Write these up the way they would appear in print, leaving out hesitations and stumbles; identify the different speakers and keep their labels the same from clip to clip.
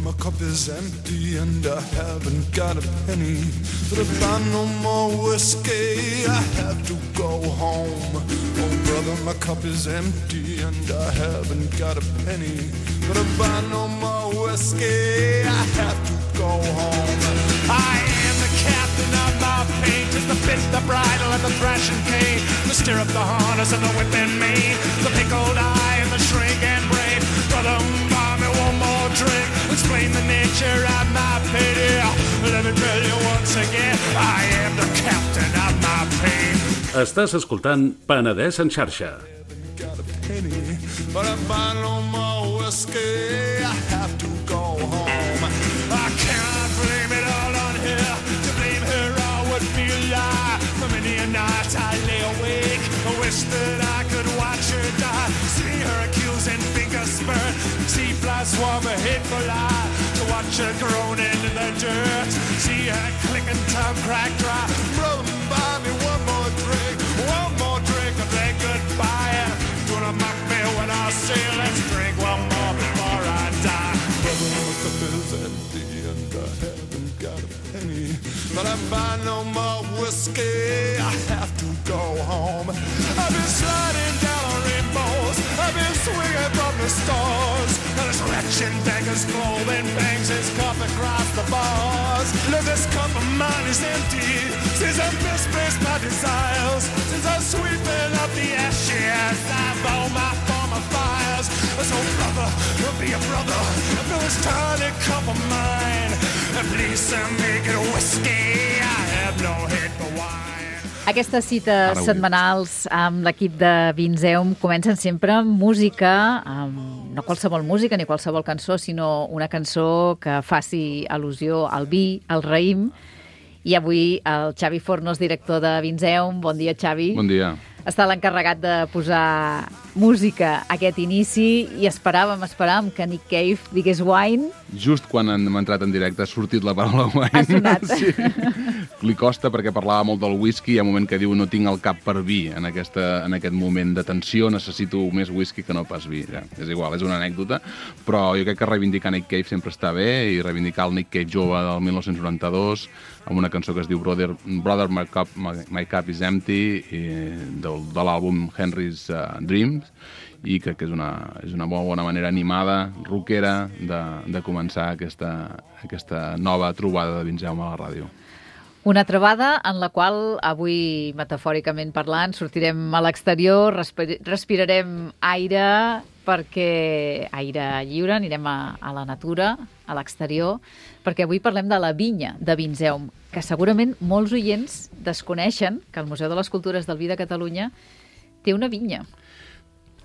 Speaker 1: my cup is empty and I haven't got a penny. But I buy no more whiskey, I have to go home. Oh brother, my cup is empty and I haven't got a penny. But I buy no more whiskey, I have to go home. I am the captain of my fate, is the bit, the bridle and the thrashing cane, the stirrup, the harness and the whip and mane, the pickled eye and the shrink and brave. Brother, buy me one more drink, explain the nature of my pity. Let me tell you once again, I am the captain of my pain.
Speaker 2: Estàs escoltant Penedès en xarxa.
Speaker 1: But I buy no more whiskey, I have to go home. I cannot blame it all on her, to blame her all would be a lie. For many a night I lay awake, I wish that I could watch her die. See her accusing finger spurt, see flies swarm a hateful eye. To watch her groaning in the dirt, see her clicking tongue crack dry. Brother, buy me one more drink and then goodbye. And do not mock me when I say let's drink one more before I die. Brother, my cup is empty and I haven't got a penny. But I buy no more whiskey, I have to go home. I've been sliding down on rainbows, I've been swinging from the stars, and this wretched beggar's clothing bangs his cup across the bars. Look, this cup of mine is empty, since I've misplaced my desires, since I'm sweeping up the ashes, I've all my former fires. So brother, be a brother, fill this tiny cup of mine, and please make it whiskey, I have no head for wine.
Speaker 3: Aquestes cites setmanals amb l'equip de Vinzeum comencen sempre amb música, no qualsevol música ni qualsevol cançó, sinó una cançó que faci al·lusió al vi, al raïm. I avui el Xavi Fornos, director de Vinzeum. Bon dia, Xavi.
Speaker 4: Bon dia.
Speaker 3: Està l'encarregat de posar música a aquest inici i esperàvem que Nick Cave digués wine.
Speaker 4: Just quan hem entrat en directe ha sortit la paraula wine.
Speaker 3: Ha sonat.
Speaker 4: Sí. Li costa perquè parlava molt del whisky. Hi ha un moment que diu no tinc el cap per vi. En aquest moment de tensió necessito més whisky que no pas vi. Ja, és igual, és una anècdota. Però jo crec que reivindicar Nick Cave sempre està bé i reivindicar el Nick Cave jove del 1992 amb una cançó que es diu Brother My Cup is Empty de l'àlbum Henry's Dreams, i crec que és una molt bona manera animada, rockera, de començar aquesta nova trobada de Vinzeum a la ràdio.
Speaker 3: Una trobada en la qual avui, metafòricament parlant, sortirem a l'exterior, respirarem aire lliure, anirem a la natura, a l'exterior, perquè avui parlem de la vinya de Vinzeum, que segurament molts oients desconeixen que el Museu de les Cultures del Vi de Catalunya té una vinya.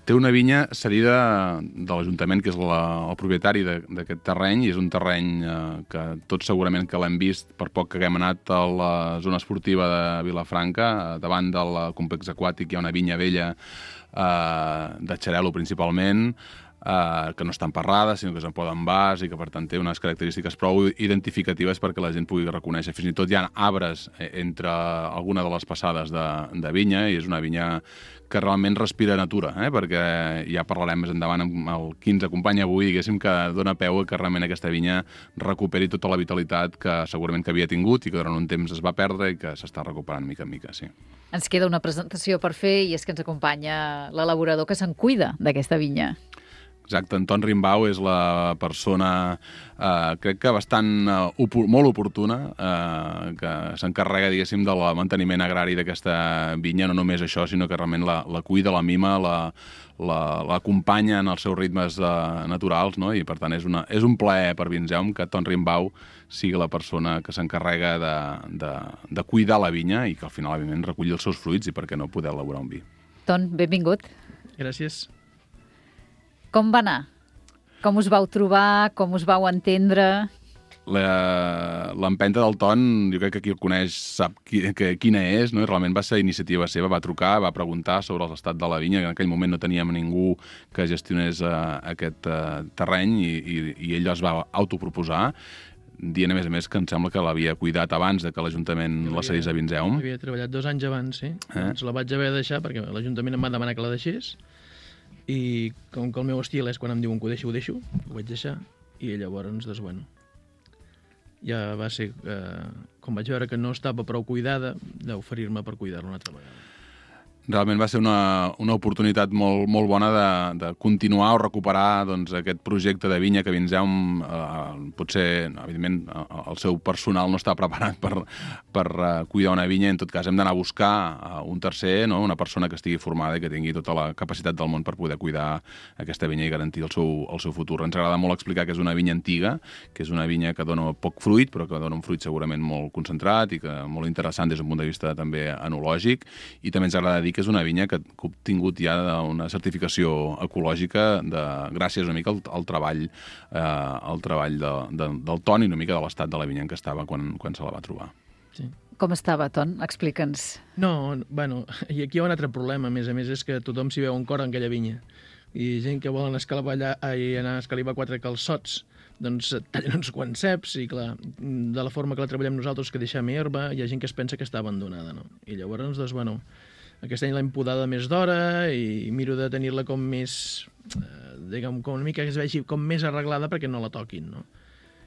Speaker 4: Té una vinya cedida de l'Ajuntament, que és el propietari d'aquest terreny, i és un terreny que tots segurament que l'hem vist per poc que haguem anat a la zona esportiva de Vilafranca. Davant del complex aquàtic hi ha una vinya vella de xarel·lo principalment, que no estan parrades, sinó que se'n poden vas i que, per tant, té unes característiques prou identificatives perquè la gent pugui reconèixer. Fins i tot hi ha arbres entre alguna de les passades de vinya, i és una vinya que realment respira natura, perquè ja parlarem més endavant amb el qui ens acompanya avui, diguéssim, que dona peu que realment aquesta vinya recuperi tota la vitalitat que segurament que havia tingut i que durant un temps es va perdre i que s'està recuperant mica en mica, sí.
Speaker 3: Ens queda una presentació per fer i és que ens acompanya l'elaborador que se'n cuida d'aquesta vinya.
Speaker 4: Exacte, Anton Rimbau és la persona, crec que molt oportuna, que s'encarrega, diguéssim, del manteniment agrari d'aquesta vinya. No només això, sinó que realment la cuida, la mima, l'acompanya en els seus ritmes naturals, no? I per tant és un plaer per Vinzeum que Anton Rimbau sigui la persona que s'encarrega de cuidar la vinya i que al final, evidentment, reculli els seus fruits i per què no poder elaborar un vi.
Speaker 3: Ton, benvingut.
Speaker 5: Gràcies.
Speaker 3: Com va anar? Com us vau trobar? Com us vau entendre?
Speaker 4: L'empenta del Ton, jo crec que qui el coneix sap quina és, no? I realment va ser iniciativa seva, va trucar, va preguntar sobre l'estat de la vinya, que en aquell moment no teníem ningú que gestionés aquest terreny i ell es va autoproposar, dient a més que em sembla que l'havia cuidat abans de que l'Ajuntament la cedís a Vinzeum.
Speaker 5: Havia treballat 2 anys abans, sí. Doncs la vaig haver de deixar perquè l'Ajuntament em va demanar que la deixés. I com que el meu estil és quan em diuen que ho deixo, ho vaig deixar. i llavors, doncs, bueno, ja va ser, com vaig veure que no estava prou cuidada, d'oferir-me per cuidar-la una altra vegada.
Speaker 4: Realment va ser una oportunitat molt bona de continuar o recuperar doncs, aquest projecte de vinya que Vinzeum potser, evidentment, el seu personal no està preparat per cuidar una vinya. En tot cas, hem d'anar a buscar un tercer, no? Una persona que estigui formada i que tingui tota la capacitat del món per poder cuidar aquesta vinya i garantir el seu futur. Ens agrada molt explicar que és una vinya antiga, que és una vinya que dona poc fruit, però que dona un fruit segurament molt concentrat i que molt interessant des d'un punt de vista també enològic. I també ens agrada dir que és una vinya que ha obtingut ja una certificació ecològica gràcies una mica al treball del Ton i una mica de l'estat de la vinya en què estava quan se la va trobar.
Speaker 5: Sí.
Speaker 3: Com estava, Ton? Explica'ns.
Speaker 5: No, bueno, i aquí hi ha un altre problema, a més, és que tothom s'hi veu un cor en aquella vinya. I gent que volen anar a escalivar 4 calçots, doncs tallen uns quants ceps i, clar, de la forma que la treballem nosaltres, que deixem herba, hi ha gent que es pensa que està abandonada, no? I llavors, doncs, bueno, aquest any l'hem podada més d'hora i miro de tenir-la com més, diguem, com una mica que es vegi com més arreglada perquè no la toquin, no?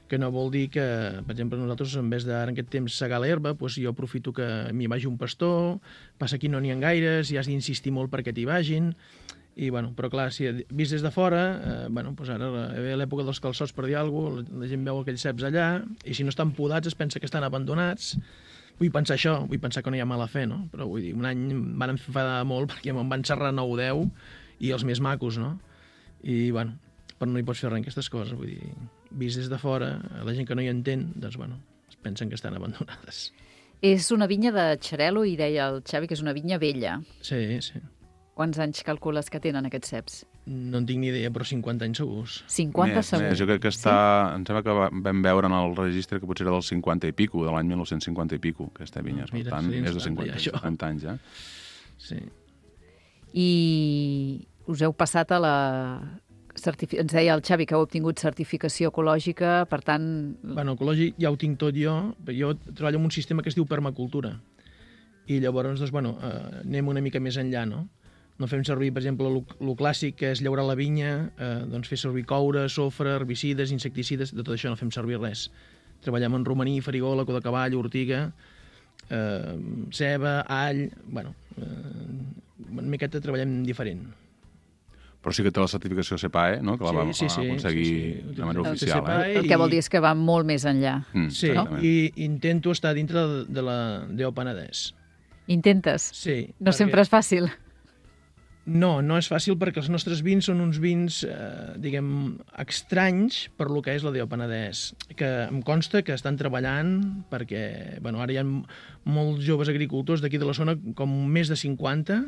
Speaker 5: Que no vol dir que, per exemple, nosaltres, en vez d'ara en aquest temps segar l'herba, doncs jo aprofito que m'hi vagi un pastor, passa aquí no n'hi ha gaires, i has d'insistir molt perquè t'hi vagin, i, bueno, però clar, si vist des de fora, bueno, doncs ara ve l'època dels calçots, per dir alguna cosa, la gent veu aquells ceps allà, i si no estan podats es pensa que estan abandonats. Vull pensar això, vull pensar que no hi ha mala fe, no? Però vull dir, un any em van enfadar molt perquè me'n van xerrar 9 o 10 i els més macos, no? I, bueno, però no hi pots fer res en aquestes coses, vull dir, vist des de fora, la gent que no hi entén, doncs, bueno, es pensen que estan abandonades.
Speaker 3: És una vinya de Xarel·lo i deia el Xavi que és una vinya vella.
Speaker 5: Sí, sí.
Speaker 3: Quants anys calcules que tenen aquests ceps?
Speaker 5: No en tinc ni idea, però 50 anys segurs.
Speaker 3: 50 segurs?
Speaker 4: Jo crec que està... Sí? Em sembla que vam veure en el registre que potser era del 50 i pico, de l'any 1950 i pico, aquesta vinya. Per tant, és de 50 anys, ja.
Speaker 5: Sí.
Speaker 3: I us heu passat a la... Ens deia el Xavi que heu obtingut certificació ecològica, per tant...
Speaker 5: Bueno, ecològic ja ho tinc tot jo. Jo treballo en un sistema que es diu permacultura. I llavors, doncs, bueno, anem una mica més enllà, no? No fem servir, per exemple, el clàssic, que és llaurar la vinya, doncs fer servir coure, sofre, herbicides, insecticides, de tot això no fem servir res. Treballem en romaní, farigola, cua de cavall, ortiga, ceba, all... Bueno, una miqueta treballem diferent.
Speaker 4: Però sí que té la certificació CEPAE, no? Que la vam aconseguir de manera oficial.
Speaker 3: El que vol dir és que va molt més enllà.
Speaker 5: Sí, no? I intento estar dintre de la DO Penedès.
Speaker 3: Intentes?
Speaker 5: Sí.
Speaker 3: No sempre és fàcil.
Speaker 5: No, no és fàcil perquè els nostres vins són uns vins, diguem, estranys per lo que és la DO Penedès, que em consta que estan treballant perquè, bueno, ara hi ha molts joves agricultors d'aquí de la zona, com més de 50,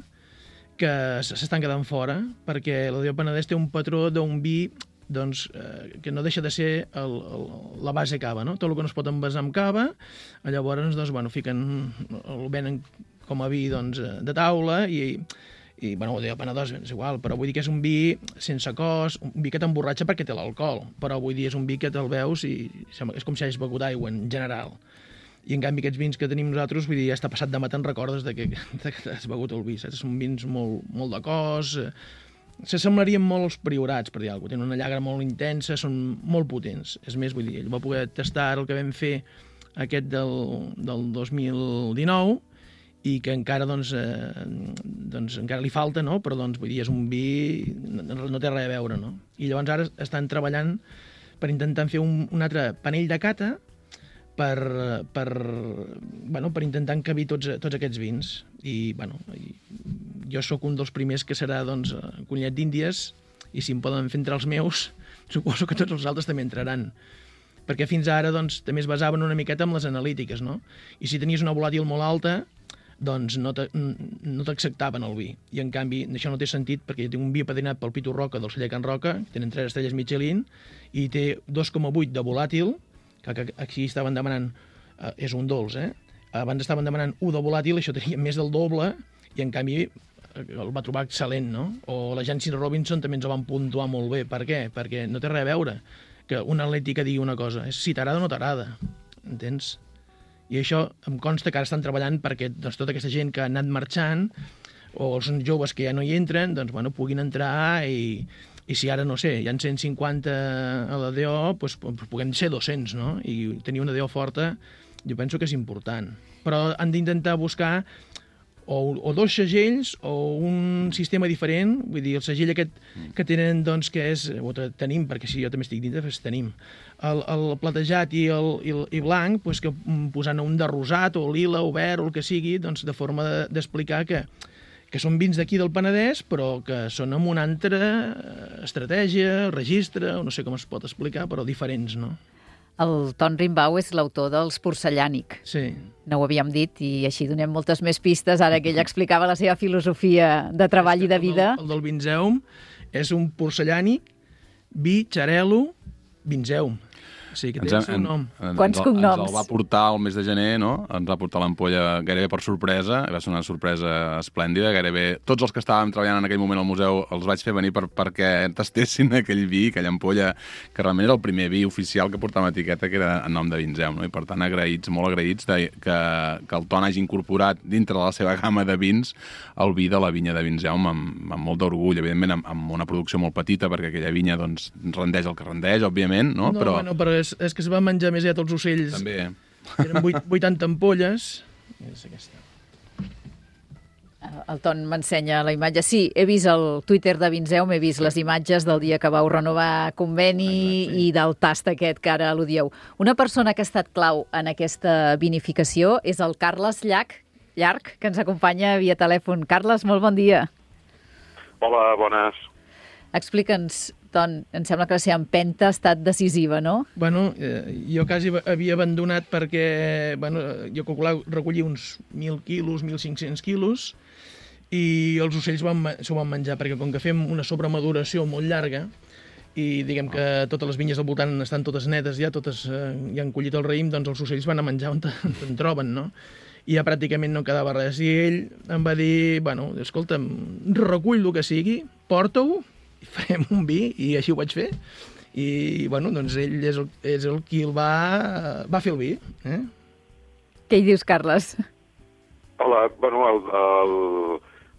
Speaker 5: que s'estan quedant fora, perquè la DO Penedès té un patró d'un vi doncs, que no deixa de ser la base cava, no? Tot el que no es pot envasar amb cava, llavors doncs, bueno, el venen com a vi doncs, de taula i bueno, el Penedès és igual, però vull dir que és un vi sense cos, un vi que t'emborratxa perquè té l'alcohol, però vull dir és un vi que te'l veus i és com si hagis begut aigua en general. I en canvi aquests vins que tenim nosaltres, vull dir, ja està passat de mà, te'n recordes que has begut el vi, saps? Són vins molt de cos, s'assemblarien molt als priorats, per dir alguna cosa. Tenen una llagra molt intensa, són molt potents. És més, vull dir, ell va poder tastar el que vam fer aquest del 2019 i que encara, doncs encara li falta, no? Però, doncs, vull dir, és un vi... no té res a veure, no? I llavors ara estan treballant per intentar fer un altre panell de cata per intentar encabir tots aquests vins. I, bueno, jo sóc un dels primers que serà, doncs, conillet d'Índies, i si em poden fer entrar els meus, suposo que tots els altres també entraran. Perquè fins ara, doncs, també es basaven una miqueta en les analítiques, no? I si tenies una volàtil molt alta, doncs no t'acceptaven el vi. I en canvi, això no té sentit perquè jo tinc un vi apadrinat pel Pitu Roca del celler Can Roca, que tenen 3 estrelles Michelin, i té 2,8 de volàtil, que aquí estaven demanant, és un dolç, abans estaven demanant 1 de volàtil, això tenia més del doble, i en canvi el va trobar excel·lent, no? O la Jancis Robinson també ens el van puntuar molt bé. Per què? Perquè no té res a veure que una atlètica digui una cosa, és si t'agrada o no t'agrada, entens? I això em consta que ara estan treballant perquè doncs, tota aquesta gent que ha anat marxant o els joves que ja no hi entren, doncs, bueno, puguin entrar i I si ara, no sé, hi ha 150 a la DO, doncs puguem ser 200, no? I tenir una DO forta jo penso que és important. Però han d'intentar buscar o dos segells o un sistema diferent, vull dir, el segell aquest que tenen, doncs, que és, o tenim, perquè si jo també estic dintre, doncs tenim, el platejat i blanc, doncs que posant un de rosat o lila o verd o el que sigui, doncs de forma d'explicar que són vins d'aquí del Penedès, però que són amb una altra estratègia, registre, o no sé com es pot explicar, però diferents, no?
Speaker 3: El Ton Rimbaud és l'autor dels Porcellànic.
Speaker 5: Sí.
Speaker 3: No ho havíem dit i així donem moltes més pistes ara que ell explicava la seva filosofia de treball i de vida.
Speaker 5: El del Vinzeum és un porcellànic, vi, xarel·lo, Vinzeum. O sigui, que té el seu nom.
Speaker 3: Quants cognoms?
Speaker 4: Ens el va portar el mes de gener, no? Ens va portar l'ampolla gairebé per sorpresa, va ser una sorpresa esplèndida, gairebé tots els que estàvem treballant en aquell moment al museu els vaig fer venir perquè tastessin aquell vi, aquella ampolla, que realment era el primer vi oficial que portava etiqueta, que era en nom de Vinzeum, no? I per tant agraïts, molt agraïts que el Ton hagi incorporat dintre de la seva gamma de vins el vi de la vinya de Vinzeum amb molt d'orgull, evidentment amb una producció molt petita, perquè aquella vinya doncs rendeix el que rendeix, òbviament, no?
Speaker 5: Però és que es va menjar més ja tots els ocells.
Speaker 4: També.
Speaker 5: Eren 80 ampolles. És aquesta.
Speaker 3: El Ton m'ensenya la imatge. Sí, he vist el Twitter de Vinzeum, he vist les imatges del dia que vau renovar conveni. Exacte, sí. I del tast aquest que ara al·ludieu. Una persona que ha estat clau en aquesta vinificació és el Carles Llarg, que ens acompanya via telèfon. Carles, molt bon dia.
Speaker 6: Hola, bones.
Speaker 3: Explica'ns, Ton, em sembla que la seva empenta ha estat decisiva, no?
Speaker 5: Bueno, jo quasi havia abandonat perquè, jo recollia uns 1.000 quilos, 1.500 quilos, i els ocells s'ho van menjar, perquè com que fem una sobremaduració molt llarga, i diguem que totes les vinyes al voltant estan totes netes ja, totes ja han collit el raïm, doncs els ocells van a menjar on te'n troben, no? I ja pràcticament no quedava res. I ell em va dir, escolta'm, recull el que sigui, porta-ho, i farem un vi, i així ho vaig fer. I, doncs ell és el qui el va fer el vi.
Speaker 3: Què hi dius, Carles?
Speaker 6: Hola,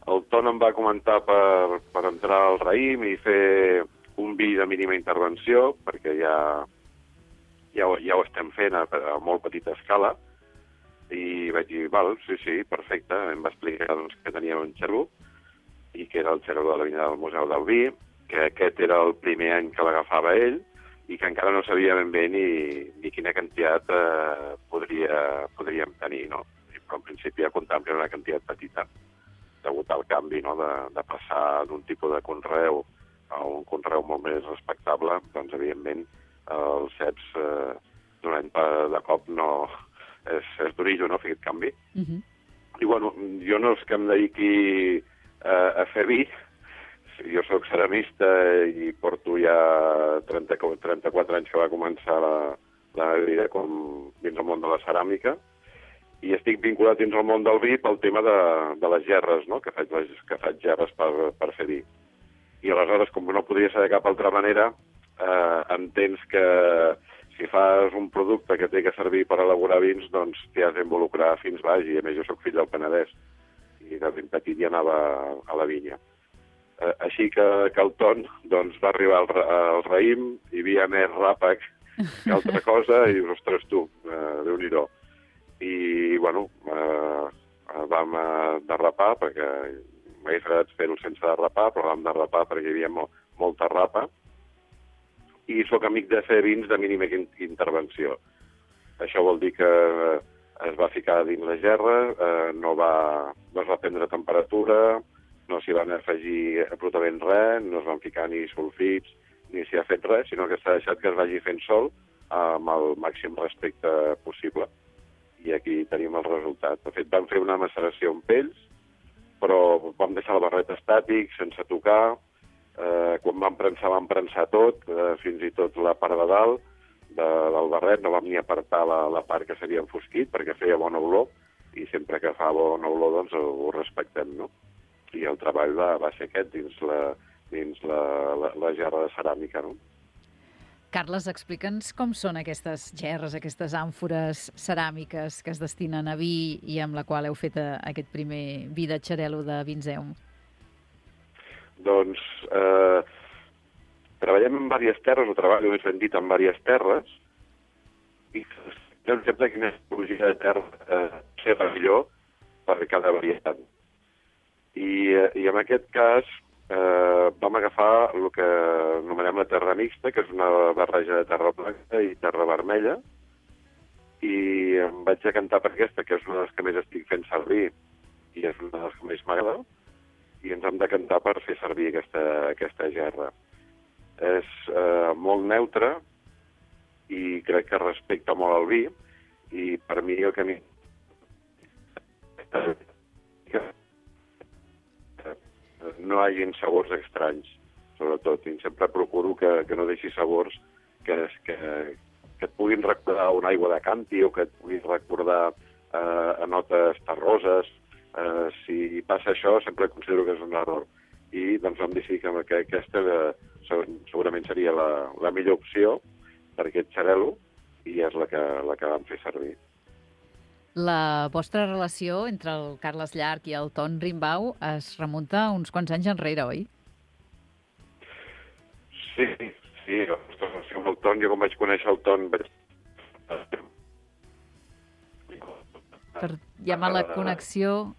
Speaker 6: el Ton em va comentar per entrar al raïm i fer un vi de mínima intervenció, perquè ja ho estem fent a molt petita escala, i vaig dir, sí, perfecte. Em va explicar doncs, que tenia un xerbo, i que era el xerbo de la vinya del Museu del Vi, que aquest era el primer any que l'agafava ell, i que encara no sabia ben bé ni quina quantitat podríem tenir, no? Però en principi ja comptàvem que era una quantitat petita, degut al canvi, no?, de passar d'un tipus de conreu a un conreu molt més respectable. Doncs, evidentment, els ceps d'un any de cop no... És d'origen, no?, fer aquest canvi. I, jo no és que em dediqui a fer vi. Jo soc ceramista i porto ja 34 anys que va començar la meva vida dins el món de la ceràmica, i estic vinculat dins el món del vi pel tema de les gerres, no?, que faig gerres per fer vi. I aleshores, com no podria ser de cap altra manera, entens que si fas un producte que té que servir per elaborar vins, doncs t'hi has d'involucrar fins baix, i a més jo soc fill del Penedès, i de ben petit ja anava a la vinya. Així que el Ton doncs, va arribar al raïm, hi havia més ràpec que altra cosa, i dius, ostres tu, Déu-n'hi-do. I, vam derrapar, perquè m'hagués agradat fer-ho sense derrapar, però vam derrapar perquè hi havia molta rapa, i sóc amic de fer vins de mínima intervenció. Això vol dir que es va ficar dins la gerra, no es va prendre temperatura, no s'hi van afegir absolutament res, no es van ficar ni sulfits, ni s'hi ha fet res, sinó que s'ha deixat que es vagi fent sol amb el màxim respecte possible. I aquí tenim el resultat. De fet, vam fer una maceració amb pells, però vam deixar el barret estàtic, sense tocar. Quan vam prensar tot, fins i tot la part de dalt del barret, no vam ni apartar la part que s'havia enfosquit, perquè feia bona olor, i sempre que fa bona olor doncs ho respectem, no? I el treball va ser aquest dins la gerra de ceràmica, no?
Speaker 3: Carles, explica'ns com són aquestes gerres, aquestes àmfores ceràmiques que es destinen a vi i amb la qual heu fet aquest primer vi de xarel·lo de Vinzeum.
Speaker 6: Doncs treballem en diverses terres, o treballo més ben dit en diverses terres, i doncs sempre quina tipologia de terra serà millor per cada varietat. I en aquest cas vam agafar el que anomenem la terra mixta, que és una barreja de terra blanca i terra vermella, i em vaig decantar per aquesta, que és una de les que més estic fent servir, i és una de les que més m'agrada, i ens hem decantar per fer servir aquesta gerra. És molt neutra i crec que respecta molt el vi, i per mi el que no hi hagi sabors estranys, sobretot, i sempre procuro que no deixi sabors que et puguin recordar una aigua de canti o que et puguin recordar a notes terroses. Si passa això, sempre considero que és un error. I doncs vam decidir que aquesta segurament seria la millor opció per aquest xarel·lo, i és la que vam fer servir.
Speaker 3: La vostra relació entre el Carles Llarch i el Ton Rimbaud es remunta uns quants anys enrere, oi?
Speaker 6: Sí, la nostra relació amb el Ton, jo quan vaig conèixer el Ton
Speaker 3: Hi ha mala connexió.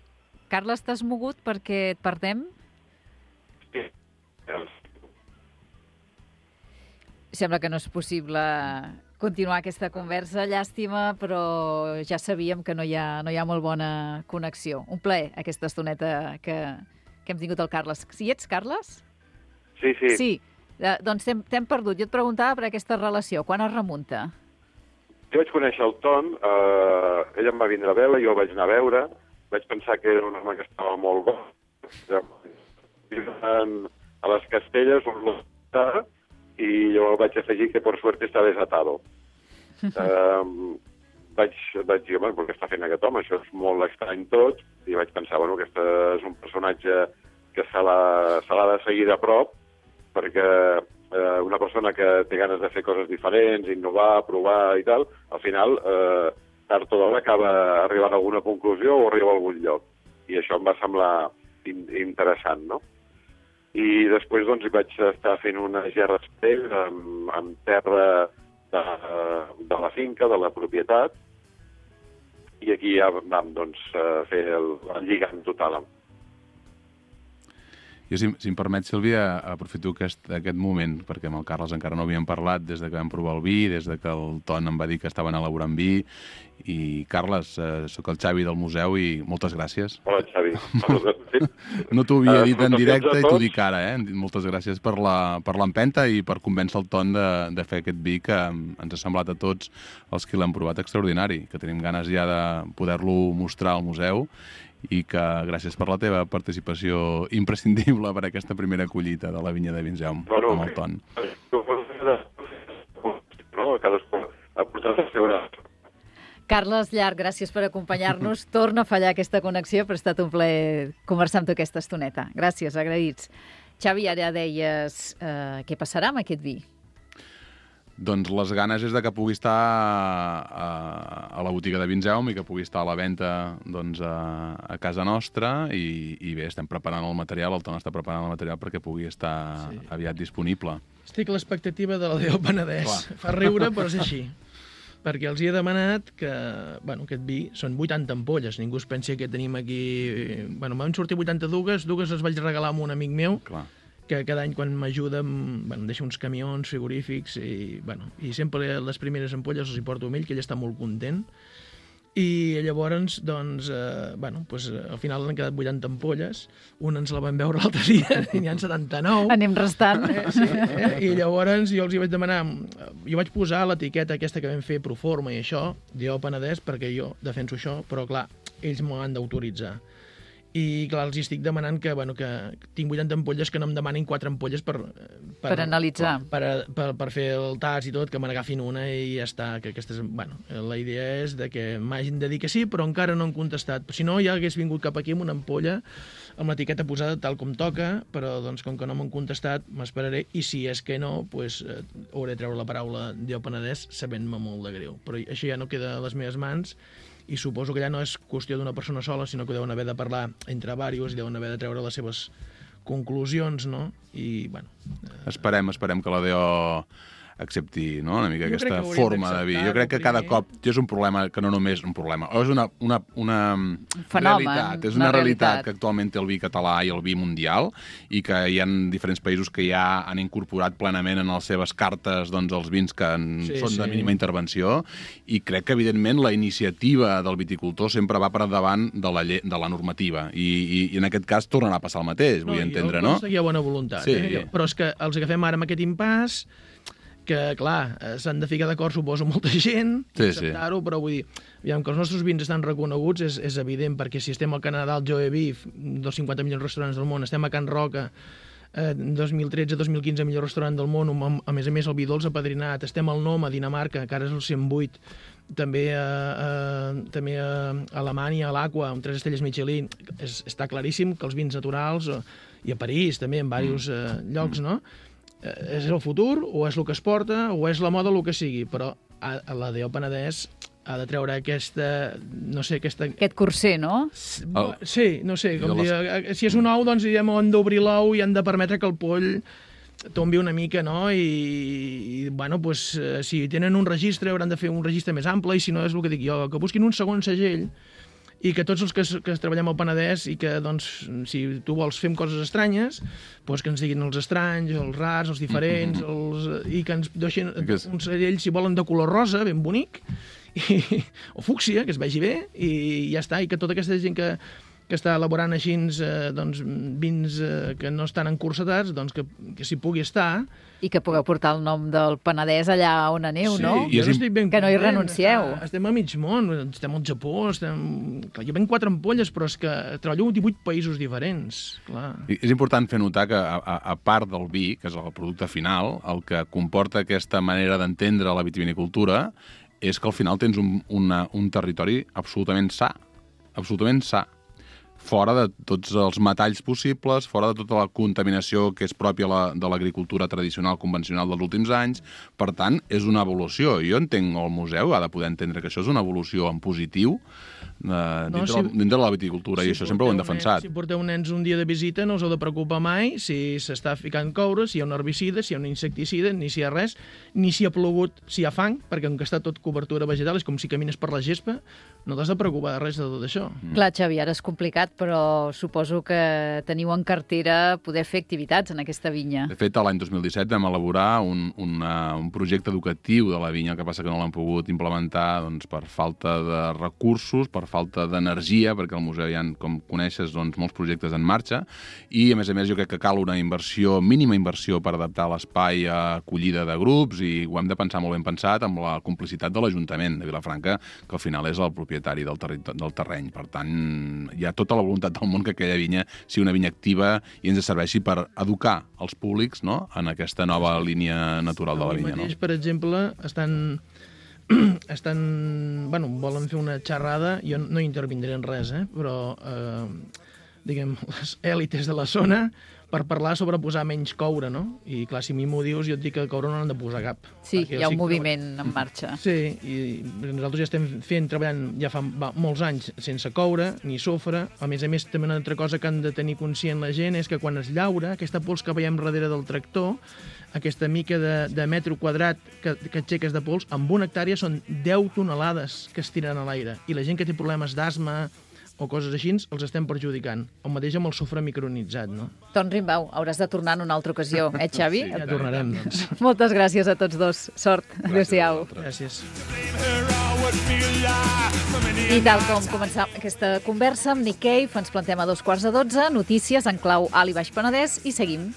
Speaker 3: Carles, t'has mogut perquè et perdem?
Speaker 6: Sí.
Speaker 3: Sembla que no és possible continuar aquesta conversa, llàstima, però ja sabíem que no hi ha molt bona connexió. Un plaer, aquesta estoneta que hem tingut el Carles. Si ets, Carles?
Speaker 6: Sí.
Speaker 3: Sí, doncs t'hem perdut. Jo et preguntava per aquesta relació. Quan es remunta?
Speaker 6: Jo vaig conèixer el Ton, ell em va vindre a veure, jo el vaig anar a veure, vaig pensar que era un home que estava molt bo. A les Castelles, i jo vaig afegir que per suerte està desatado. Vaig dir, home, què està fent aquest home? Això és molt estrany tot, i vaig pensar, bueno, aquest és un personatge que se l'ha de seguir de prop, perquè una persona que té ganes de fer coses diferents, innovar, provar i tal, al final, tard o d'hora acaba arribant a alguna conclusió o arriba a algun lloc. I això em va semblar interessant, no? I després doncs, vaig estar fent unes gerres amb terra de la finca, de la propietat, i aquí ja vam doncs, fer el lligam total.
Speaker 4: Jo, si em permet, Sílvia, aprofito aquest moment, perquè amb el Carles encara no havíem parlat des de que vam provar el vi, des de que el Ton em va dir que estaven elaborant vi. I, Carles, sóc el Xavi del museu i moltes gràcies.
Speaker 6: Hola, Xavi.
Speaker 4: No t'ho havia dit en directe i t'ho dic ara, Moltes gràcies per l'empenta i per convèncer el Ton de fer aquest vi que ens ha semblat a tots els que l'hem provat extraordinari, que tenim ganes ja de poder-lo mostrar al museu, i que gràcies per la teva participació imprescindible per aquesta primera collita de la vinya de Vinzeum amb el Ton.
Speaker 6: Cadascú ha portat el seu gra.
Speaker 3: Carles Llarch, gràcies per acompanyar-nos. Torna a fallar aquesta connexió, però ha estat un plaer conversar amb tu aquesta estoneta. Gràcies, agraïts. Xavi, ara deies què passarà amb aquest vi?
Speaker 4: Doncs les ganes és de que pugui estar a la botiga de Vinzeum i que pugui estar a la venda doncs, a casa nostra, i bé, estem preparant el material, el Ton està preparant el material perquè pugui estar aviat disponible.
Speaker 5: Estic a l'expectativa de la Déu Penedès.
Speaker 4: Clar.
Speaker 5: Fa riure, però és així. Perquè els hi he demanat que, aquest vi són 80 ampolles. Ningú es pensi que tenim aquí... Van sortir 82, dues les vaig regalar a un amic meu,
Speaker 4: Clar.
Speaker 5: que cada any quan m'ajuda em deixa uns camions frigorífics i sempre les primeres ampolles els hi porto a ell, que ell està molt content. I llavors, doncs, al final han quedat 80 ampolles. Una ens la vam veure l'altre dia, i n'hi ha 79.
Speaker 3: Anem restant.
Speaker 5: I llavors jo els hi vaig demanar... Jo vaig posar l'etiqueta aquesta que vam fer Proforma i això, Déu Penedès, perquè jo defenso això, però clar, ells m'ho han d'autoritzar. I clar, els estic demanant que tinc 80 ampolles, que no em demanin 4 ampolles per
Speaker 3: analitzar.
Speaker 5: Per fer el tas i tot, que me n'agafin una i ja està. Que aquestes, la idea és de que m'hagin de dir que sí, però encara no han contestat. Si no, ja hagués vingut cap aquí amb una ampolla amb l'etiqueta posada tal com toca, però doncs, com que no m'han contestat, m'esperaré, i si és que no, hauré de treure la paraula Déu Penedès, sabent-me molt de greu. Però això ja no queda a les meves mans, i suposo que ja no és qüestió d'una persona sola, sinó que deuen haver de parlar entre diversos i deuen haver de treure les seves conclusions, no? I, bueno...
Speaker 4: Esperem que la DO accepti, no?, una mica
Speaker 5: Jo crec
Speaker 4: aquesta
Speaker 5: que haurien
Speaker 4: forma de dir. Jo
Speaker 5: d'acceptar-ho
Speaker 4: crec que cada
Speaker 5: primer.
Speaker 4: cop és un problema que no només un problema, és una
Speaker 3: fenomen,
Speaker 4: realitat, és
Speaker 3: una
Speaker 4: una realitat
Speaker 3: realitat
Speaker 4: que actualment té el vi català i el vi mundial i que hi ha diferents països que ja han incorporat plenament en les seves cartes doncs, els vins que són de mínima intervenció i crec que evidentment la iniciativa del viticultor sempre va per davant de la normativa i en aquest cas tornarà a passar el mateix, vull entendre, no?
Speaker 5: Jo hi ha bona voluntat,
Speaker 4: Sí.
Speaker 5: però és que els agafem ara amb aquest impàs que, clar, s'han de ficar d'acord, suposo, molta gent, acceptar-ho, però vull dir, aviam, que els nostres vins estan reconeguts és evident, perquè si estem al Canadà, al Joe Beef, dels 50 millors restaurants del món, estem a Can Roca, 2013-2015 millor restaurant del món, a més el vi dolç apadrinat, estem al Nom, a Dinamarca, que ara és el 108, també a Alemanya, a l'Aqua, amb 3 estrelles Michelin, està claríssim que els vins naturals, i a París també, en diversos llocs, no?, és el futur, o és el que es porta, o és la moda, el que sigui, però la DO Penedès ha de treure aquesta...
Speaker 3: Aquest curser, no?
Speaker 5: Sí, no sé, com dir, si és un ou, doncs han d'obrir l'ou i han de permetre que el poll tombi una mica, no? I bueno, doncs, si tenen un registre, hauran de fer un registre més ample, i si no, és el que dic jo, que busquin un segon segell, i que tots els que treballem al Penedès i que, doncs, si tu vols fem coses estranyes, doncs que ens diguin els estranys, els rars, els diferents, i que ens deixin un segell, si volen, de color rosa, ben bonic, o fúcsia, que es vegi bé, i ja està, i que tota aquesta gent que està elaborant així doncs, vins que no estan encursetats, doncs que s'hi pugui estar.
Speaker 3: I que pugueu portar el nom del Penedès allà on aneu, no?
Speaker 5: Jo estic ben
Speaker 3: que no hi
Speaker 5: content.
Speaker 3: renuncieu.
Speaker 5: Estem a mig món, estem al Japó, clar, jo venc 4 ampolles, però és que treballo en 18 països diferents. Clar.
Speaker 4: És important fer notar que, a part del vi, que és el producte final, el que comporta aquesta manera d'entendre la vitivinicultura és que al final tens un territori absolutament sa, fora de tots els metalls possibles, fora de tota la contaminació que és pròpia de l'agricultura tradicional convencional dels últims anys. Per tant, és una evolució. Jo entenc, el museu ha de poder entendre que això és una evolució en positiu dintre de la viticultura, i això sempre ho hem defensat.
Speaker 5: Si porteu nens un dia de visita, no us heu de preocupar mai si s'està ficant coure, si hi ha un herbicida, si hi ha un insecticida, ni si hi ha res, ni si ha plogut, si hi ha fang, perquè com que està tot cobertura vegetal, és com si camines per la gespa, no t'has de preocupar de res de tot això.
Speaker 3: Clar, Xavi, ara és complicat, però suposo que teniu en cartera poder fer activitats en aquesta vinya.
Speaker 4: De fet, l'any 2017 vam elaborar un projecte educatiu de la vinya, que passa que no l'hem pogut implementar doncs, per falta de recursos, per falta d'energia, perquè al museu hi ha, com coneixes, doncs, molts projectes en marxa, i a més jo crec que cal una inversió, mínima inversió, per adaptar l'espai a acollida de grups, i ho hem de pensar molt ben pensat amb la complicitat de l'Ajuntament de Vilafranca, que al final és el propietari del terreny. Per tant, hi ha tota la voluntat del món que aquella vinya sigui una vinya activa i ens serveixi per educar els públics, no?, en aquesta nova línia natural de la vinya.
Speaker 5: Avui mateix, per exemple, volen fer una xerrada, jo no intervindré en res, però diguem, les èlites de la zona, per parlar sobre posar menys coure, no? I clar, si a mi m'ho dius, jo et dic que coure no n'han de posar cap.
Speaker 3: Sí, hi ha un moviment en marxa.
Speaker 5: Sí, i nosaltres ja estem treballant ja fa molts anys sense coure ni sofre. A més, també una altra cosa que han de tenir conscient la gent és que quan es llaura, aquesta pols que veiem darrere del tractor, aquesta mica de metre quadrat que aixeques de pols, amb una hectàrea són 10 tonelades que es tiren a l'aire. I la gent que té problemes d'asma o coses així, els estem perjudicant. El mateix amb el sofre micronitzat, no?
Speaker 3: Ton Rimbau, hauràs de tornar en una altra ocasió, Xavi?
Speaker 5: Sí, ja tornarem, doncs.
Speaker 3: Moltes gràcies a tots dos. Sort. Adéu-siau.
Speaker 5: Gràcies.
Speaker 3: I tal com començam aquesta conversa amb Nick Cave, ens plantem a 12:15, notícies en clau Alt i Baix Penedès, i seguim.